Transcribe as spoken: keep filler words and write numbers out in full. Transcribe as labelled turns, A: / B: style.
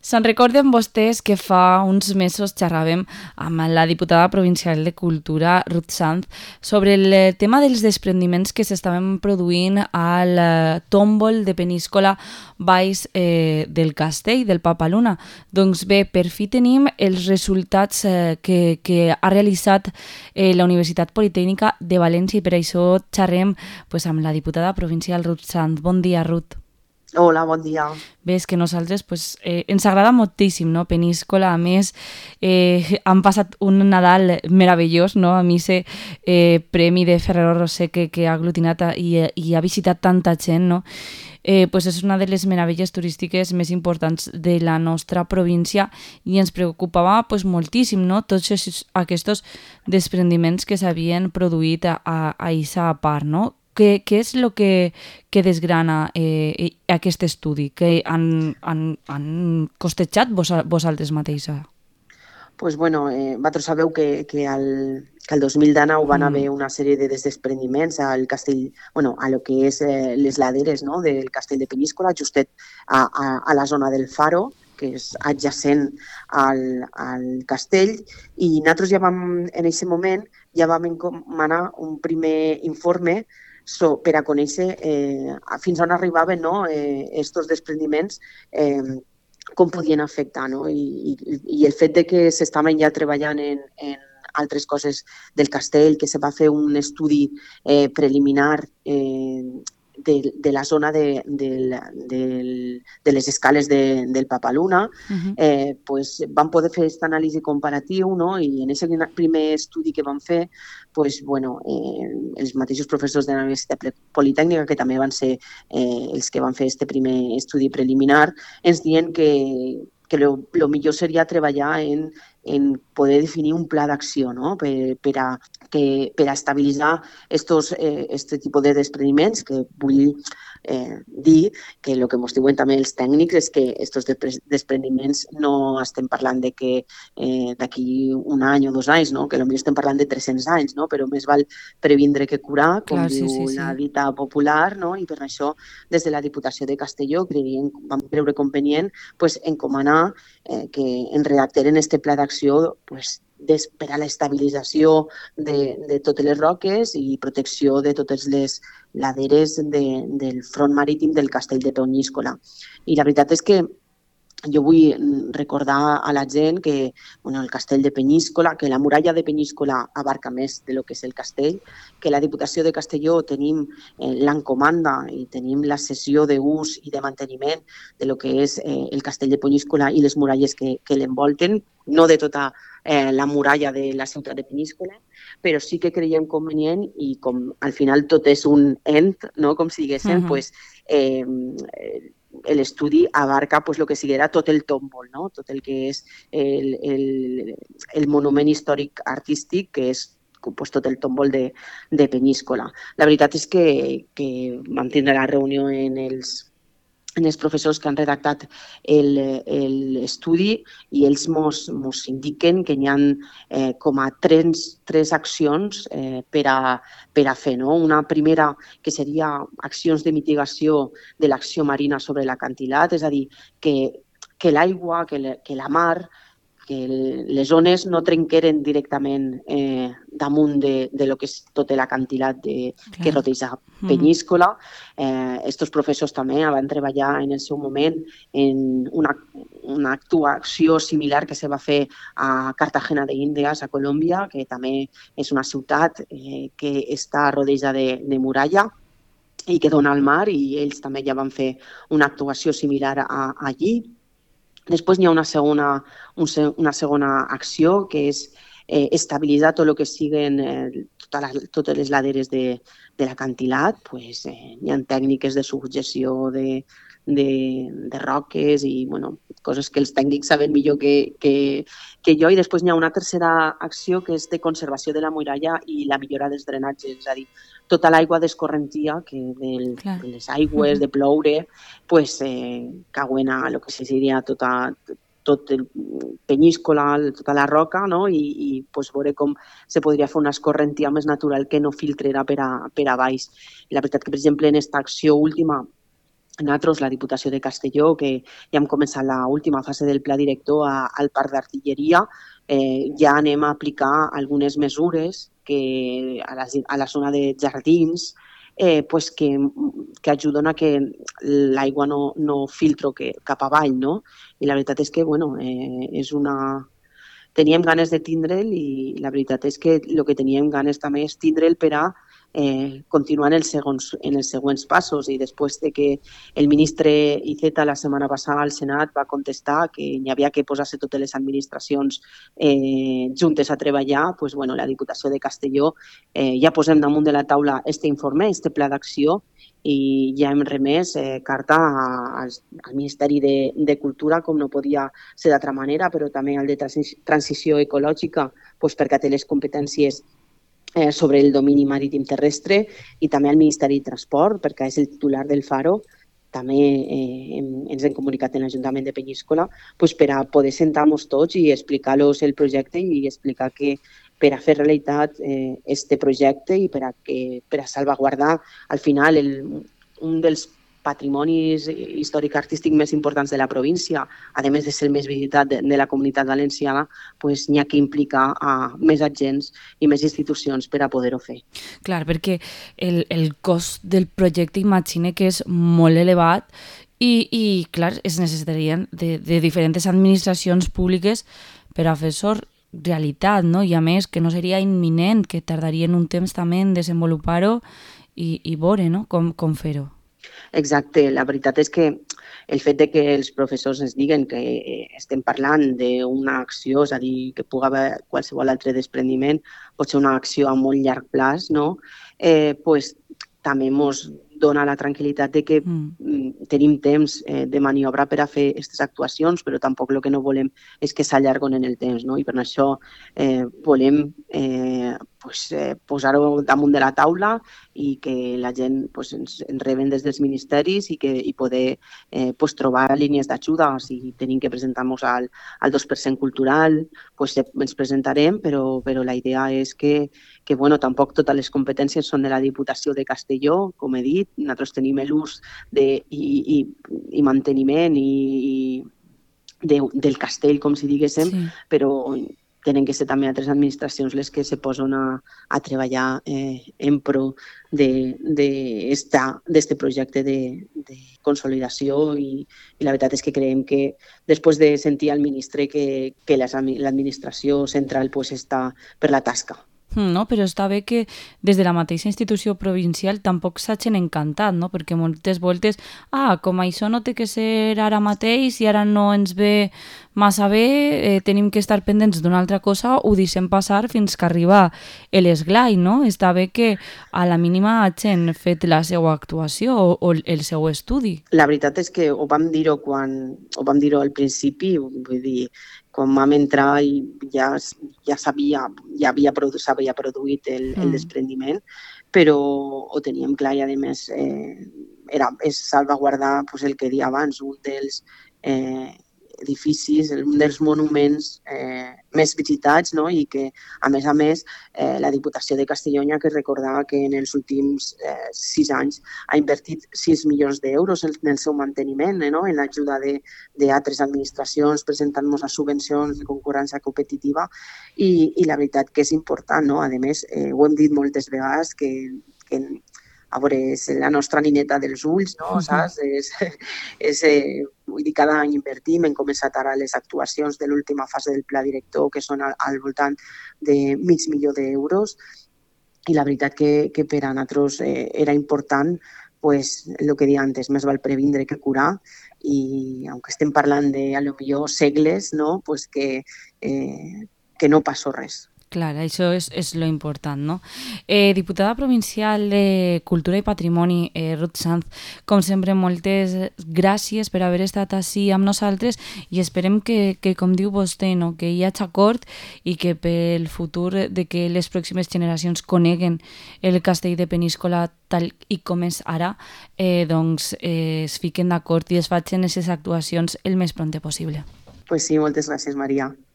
A: Se'n recorden vostès que fa uns mesos xerràvem amb la diputada provincial de Cultura, Ruth Sanz, sobre el tema dels desprendiments que s'estaven produint al tòmbol de Peníscola baix eh, del castell del Papaluna. Doncs bé, per fi tenim els resultats eh, que, que ha realitzat eh, la Universitat Politècnica de València i per això xerrem pues, amb la diputada provincial Ruth Sanz. Bon dia, Ruth.
B: Hola, bon dia.
A: Bé, és que nosaltres pues, eh, ens agrada moltíssim, no? Peníscola, a més, eh, han passat un Nadal meravellós, no? A mi ese eh, premi de Ferrero Roser que, que ha aglutinat a, i, i ha visitat tanta gent, no? Eh, pues és una de les meravelles turístiques més importants de la nostra província i ens preocupava pues, moltíssim, no? Tots aquests desprendiments que s'havien produït a, a, a aquesta part, no? Què, què és el que, que desgrana eh, aquest estudi que han, han, han costejat vos, vosaltres mateixa?
B: Pues bueno, eh, vosaltres sabeu que, que, al, que el dos mil dinou van haver una sèrie de desprendiments al castell, bueno, a lo que és eh, les laderes, no?, del castell de Peníscola, justet a, a, a la zona del Faro, que és adjacent al, al castell, i nosaltres ja vam, en aquest moment, ja vam encomanar un primer informe So, per a conèixer eh, fins on arribaven, no?, eh, estos desprendiments, eh, com podien afectar, no? I, i, i el fet de que s'estaven ja treballant en, en altres coses del castell, que se va fer un estudi eh, preliminar eh, de, de la zona de, de, de, de les escales de, del Papaluna, uh-huh. eh, pues van poder fer aquesta anàlisi comparatiu, no? I en aquest primer estudi que van fer, pues, bueno, eh, els mateixos professors de la Universitat Politècnica, que també van ser eh, els que van fer aquest primer estudi preliminar, ens diuen que que el millor seria treballar en, en poder definir un pla d'acció, no?, per, per, a, que, per a estabilitzar estos, eh, este tipus de despreniments, que vull eh, dir que el que ens diuen també els tècnics és que aquests despreniments no estem parlant de que eh, d'aquí un any o dos anys, no?, que potser estem parlant de tres-cents anys, no?, però més val previndre que curar, com
A: Clar,
B: diu
A: sí, sí, sí.
B: la dita popular, no?, i per això des de la Diputació de Castelló creiem, vam creure convenient pues, encomanar eh, que en redacteren este pla d'acció pues, per a l'estabilització de, de totes les roques i protecció de totes les laderes de, del front marítim del castell de Peníscola. I la veritat és que jo vull recordar a la gent que bueno, el castell de Peníscola, que la muralla de Peníscola abarca més de lo que és el castell, que la Diputació de Castelló tenim eh, l'encomanda i tenim la cessió d'ús i de manteniment de lo que és eh, el castell de Peníscola i les muralles que, que l'envolten, no de tota eh, la muralla de la ciutat de Peníscola, però sí que creiem convenient i com al final tot és un end, no? Com si diguéssim, uh-huh. pues, eh, l'estudi abarca pues, el que siguera tot el tòmbol, no? Tot el que és el, el, el monument històric artístic, que és pues, tot el tòmbol de, de Peníscola. La veritat és que, que vam tindre la reunió en els, en els professors que han redactat l'estudi i ells mos, mos indiquen que hi ha eh, com a tres, tres accions eh, per, a, per a fer. No? Una primera que seria accions de mitigació de l'acció marina sobre l'acantilat, és a dir, que, que l'aigua, que, le, que la mar, que les zones no trenqueren directament eh, damunt de, de lo que és tot l'acantilat que rodeja Peníscola. Eh, estos professors també van treballar en el seu moment en una, una actuació similar que se va fer a Cartagena de Índies, a Colòmbia, que també és una ciutat eh, que està rodejada de, de muralla i que dona al mar, i ells també ja van fer una actuació similar a, allí. Després hi ha una segona, una segona acció, que és eh, estabilitzar tot el que siguen eh, totes, les, totes les laderes de, de l'acantilat. Pues, eh, hi ha tècniques de subjecció de, de, de roques i bueno, coses que els tècnics saben millor que, que, que jo. I després hi ha una tercera acció, que és de conservació de la muralla i la millora dels drenatges, és a dir, tota l'aigua d'escorrentia que del, de les aigües, uh-huh. de ploure, pues, eh, cauen a lo que seria tota, tot el Peníscola, tota la roca, no? I, i pues, veure com se podria fer una escorrentia més natural que no filtrera per a, per a baix. I la veritat que, per exemple, en aquesta acció última nosaltres, la Diputació de Castelló, que ja hem començat l'última fase del pla director a, al Parc d'Artilleria, eh, ja anem a aplicar algunes mesures que a la, a la zona de jardins eh, pues que, que ajuden a que l'aigua no, no filtro que, cap avall, no? I la veritat és que, bueno, eh, és una... Teníem ganes de tindre'l i la veritat és que el que teníem ganes també és tindre'l per a eh, continuar en els, segons, en els següents passos i després de que el ministre Iceta la setmana passada al Senat va contestar que hi havia que posar-se totes les administracions eh, juntes a treballar, pues, bueno, la Diputació de Castelló eh, ja posem damunt de la taula este informe, este pla d'acció i ja hem remès eh, carta a, al, al Ministeri de, de Cultura, com no podia ser d'altra manera, però també al de Transició Ecològica, doncs perquè té les competències eh, sobre el domini marítim terrestre i també al Ministeri de Transport, perquè és el titular del Faro. També eh, hem, ens hem comunicat en l'Ajuntament de Peníscola pues, per a poder sentar-nos tots i explicar-los el projecte i explicar que per a fer realitat eh, este projecte i per a, que, per a salvaguardar al final el, un dels patrimonis històric-artístic més importants de la província, a més de ser el més visitat de, de la comunitat valenciana, pues, n'hi ha que implicar a més agents i més institucions per a poder-ho fer.
A: Clar, perquè el, el cost del projecte imagine que és molt elevat i, i clar, es necessitarien de, de diferents administracions públiques per a fer-ho realitat, no? I a més que no seria imminent, que tardarien un temps també en desenvolupar-ho i, i veure, no? com, com fer-ho.
B: Exacte, la veritat és que el fet de que els professors ens diguen que estem parlant d'una acció, és a dir, que pugui haver qualsevol altre desprendiment, pot ser una acció a molt llarg plaç, no? Eh, pues, també ens dona la tranquil·litat de que mm. tenim temps eh, de maniobra per a fer aquestes actuacions, però tampoc el que no volem és que s'allarguen en el temps, no? I per això eh, volem eh, pues, eh, posar-ho damunt de la taula i que la gent pues, ens, ens reben des dels ministeris i, que, i poder eh, pues, trobar línies d'ajuda. Si tenim que presentar-nos al, al dos per cent cultural, pues, ens presentarem, però, però la idea és que, que bueno, tampoc totes les competències són de la Diputació de Castelló, com he dit, nosaltres tenim l'ús de, i, i, i manteniment i, i de, del castell, com si diguéssim, sí. Però tenen que ser també altres administracions les que se posen a, a treballar eh, en pro d'aquest projecte de, de consolidació i, i la veritat és que creiem que després de sentir al ministre que, que l'administració central pues, està per la tasca.
A: No, però està bé que des de la mateixa institució provincial tampoc s'hagin encantat, no? Perquè moltes voltes, ah, com això no té que ser ara mateix i ara no ens ve massa bé, eh, tenim que estar pendents d'una altra cosa, ho deixem passar fins que arriba l'esglai, no? Està bé que a la mínima hagin fet la seva actuació o, o el seu estudi.
B: La veritat és que ho vam dir-ho quan ho vam dir-ho al principi, vull dir, quan vam entrar i ja, ja sabia, ja havia produ, s'havia produït el, mm. el desprendiment, però ho teníem clar i a més eh, era, és salvaguardar pues, el que dia abans, un dels eh, edificis, un dels monuments eh, més visitats, no? I que, a més a més, eh, la Diputació de Castelló ha que recordar que en els últims eh, sis anys ha invertit sis milions d'euros en, en el seu manteniment, eh, no? En l'ajuda d'altres administracions, presentant-nos a subvencions de concurrència competitiva i, i la veritat que és important, no? A més, eh, ho hem dit moltes vegades que, que a veure, és la nostra nineta dels ulls, no? Saps? És, és, eh, vull dir, cada any invertim, hem començat ara les actuacions de l'última fase del pla director, que són al, al voltant de mig milió d'euros, i la veritat que, que per a nosaltres eh, era important, pues, el que deia antes, més val previndre que curar, i aunque estem parlant de, a lo millor, segles, no? Pues que, eh, que no passó res.
A: Clar, això és, és lo important, no? Eh, diputada provincial de Cultura i Patrimoni, eh, Ruth Sanz, com sempre, moltes gràcies per haver estat ací amb nosaltres i esperem que, que com diu vostè, no? Que hi hagi acord i que pel futur de que les pròximes generacions coneguen el castell de Peníscola tal i com és ara, eh, doncs eh, es fiquen d'acord i es facin aquestes actuacions el més pront possible.
B: Pues sí, moltes gràcies, Maria.